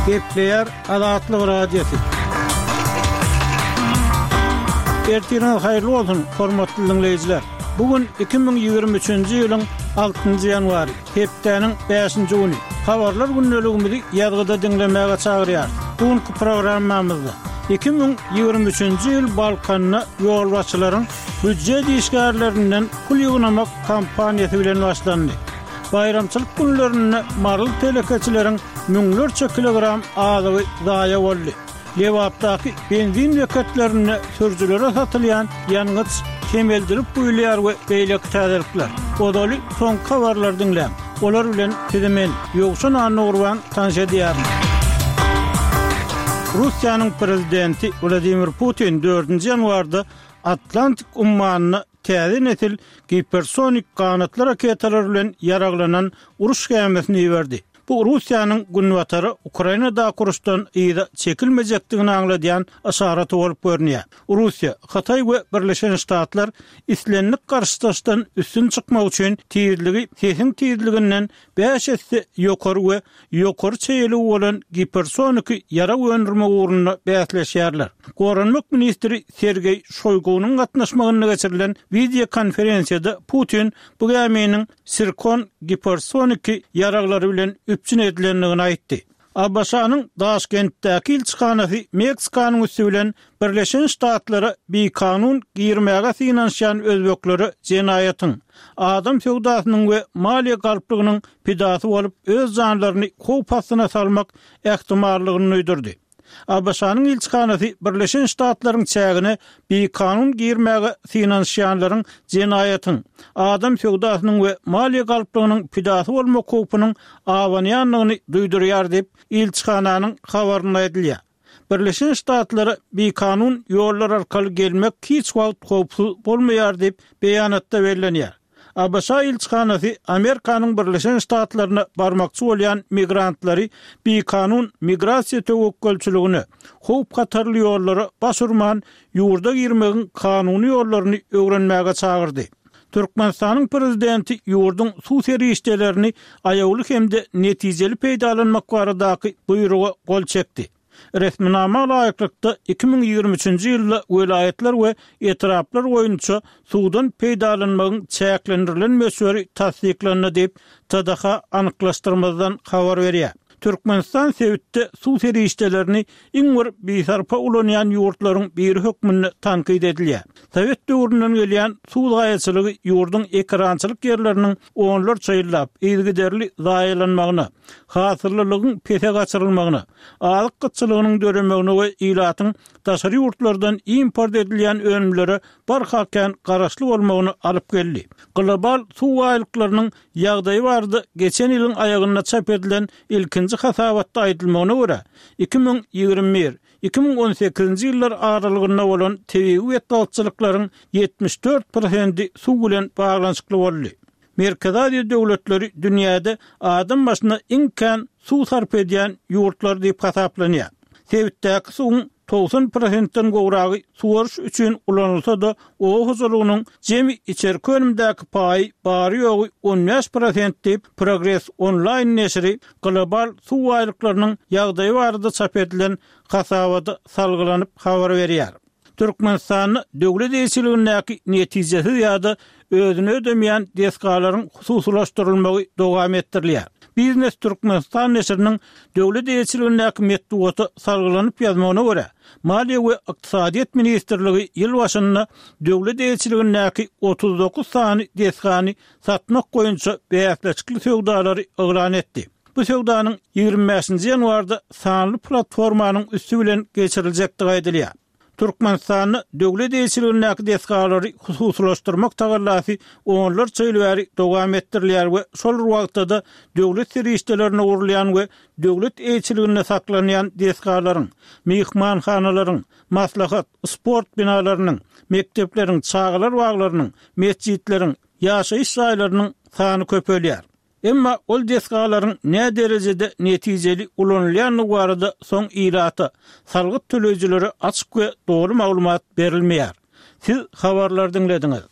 Gepleýär Azatlyk Radiosy. Ertiriňiz haýyrly bolsun, hormatly diňleýjiler! Bu gün 2023-nji ýylyň altynjy ýanwary, hepdäniň bäşinji güni. Habarlar gündeligimizi ýazgyda diňlemäge çagyrýarys. Bu günki programmamyzda 2023-nji ýyl Balkanda ýolbaşçylaryň býujet işgärlerinden pul ýygnamak kampaniýasy bilen başlandy. Baýramçylyk günlerinde maryly telekeçileriň müňlerçe kilogram azygy zaýa boldy. Lebapdaky benzin beketlerinde sürüjilere satylýan ýangyç kemeldilip guýulýar we beýleki täzelikler. Ozaly soňky habarlary diňläň. Olar bilen sizi men, Ýowşan Annagurban tanyş edýärin. Russiýanyň prezidenti Wladimir Putin dördünji ýanwarda Atlantik ummanyna täze nesil gipersonik ganatly raketalar bilen ýaraglanan uruş gämisini iberdi. Bu Russiýanyň Günbatara Ukrainadaky uruşdan yza çekilmejekdigini aňladýan yşaraty bolup görünýär. Russiýa, Hytaý we Birleşen Ştatlar islendik garşydaşdan üstün çykmak üçin tizligi sesiň tizliginden bäş esse ýokary we ýokary çeýeligi bolan gipersoniki ýarag öndürmek ugrunda bäsleşýärler. Goranmak ministri Sergeý Şoýgunyň gatnaşmagynda geçirilen wideokonferensiýada Putin bu gäminiň Sirkon gipersoniki ýaraglary bilen üpjün edilendigini aýtdy. ABŞ-nyň Daşkentdäki ilçihanasy Meksikanyň üsti bilen Birleşen Ştatlara bikanun girmäge synanyşýan özbeklere jenaýatyň, adam söwdasynyň we maliýe galplygynyň pidasy bolup öz janlaryny howp astyna salmak ähtimallygyny duýdurdy. ABŞ-nyň ilçihanasy Birleşen Ştatlaryň çägine bikanun girmäge synanyşýanlaryň jenaýatyň, adam söwdasynyň we maliýe galplygynyň pidasy bolmak howpunyň abanýandygyny duýdurýar diýip, ilçihananyň habarynda aýdylýar. Birleşen Ştatlara bikanun ýollar arkaly gelmek hiç wagt howpsuz bolmaýar diýip, beýanatda bellenýär. ABŞ ilçihanasy Amerikanyň Birleşen Ştatlaryna barmakçy bolýan migrantlary bikanun migrasiýa töwekgelçiligine, howp-hatarly ýollara baş urman, ýurda girmegiň kanuny ýollaryny öwrenmäge çagyrdy. Türkmenistanyň Prezidenti ýurduň suw serişdelerini aýawly hem-de netijeli peýdalanmak baradaky buýruga gol çekdi. Resminama laýyklykda, 2023-nji ýylda welaýatlar we etraplar boýunça suwdan peýdalanmagyň çäklendirilen möçberi tassyklandy diýip, TDH anyklaşdyrmazdan habar berýär. Türkmenistan sebitde suw serişdelerini iň bir bisarpa ulanýan ýurtlaryň biri hökmünde tankyt edilýär. Sowet döwründen gelýän suw zaýaçylygy ýurduň ekerançylyk ýerleriniň onlarça ýyllap yzygiderli zaýalanmagyna, hasyllylygyň pese gaçyrylmagyna, azyk gytçylygynyň döremegine we ilatyň daşary ýurtlardan import edilýän önümlere barha kän garaşly bolmagyna alyp geldi. Global suw baýlyklarynyň ýagdaýy barada geçen ýylyň aýagynda çap edilen ilkinji hasabatda aýdylmagyna görä, 2021, 2018-nji ýyllar aralygynda bolan tebigy betbagtçylyklaryň 74 prosendi suw bilen baglanyşykly boldy. Merkezi Aziýa döwletleri dünýäde adam başyna iň kän suw sarp edýän ýurtlar diýip hasaplanýar. Sebitdäki suwuň 90 prosentden gowragy suwaryş üçin ulanylsa-da, oba hojalygynyň jemi içerki önümdäki paýy bary-ýogy 15 prosent diýip, Progres onlaýn neşiri global suw baýlyklarynyň ýagdaýy barada çap edilen hasabata salgylanyp habar berýär. Türkmenistanda döwlet eýeçiligindäki netijesiz ýa-da özüni ödemeýän desgalaryň hususylaşdyrylmagy dowam etdirilýär. Biznes Türkmenistan neşiriniň döwlet eýeçiligindäki metbugata salgylanyp ýazmagyna görä, Maliýe we ykdysadyýet ministrligi ýyl başynda döwlet eýeçiligindäki 39 sany desgany satmak boýunça bäsleşikli söwdalary yglan etdi. Bu söwdanyň 25-nji ýanwarda sanly platformanyň üsti bilen geçiriljekdigi aýdylýar. Türkmenistanda döwlet eýeçiligindäki desgalary hususylaşdyrmak tagallasy onlarça ýyl bäri dowam etdirilýär we şol bir wagtda-da döwlet serişdelerine gurulýan we döwlet eýeçiliginde saklanýan desgalaryň, myhmanhanalaryň, maslahat, sport binalarynyň, mekdepleriň, çagalar baglarynyň, metjitleriň, ýaşaýyş jaýlarynyň sany köpelýär. Emma ol desgalaryň näderejede netijeli ulanylýandygy barada soň ilata, salgyt töleýjilere açyk we doly maglumat berilmeýär. Siz habarlary diňlediňiz.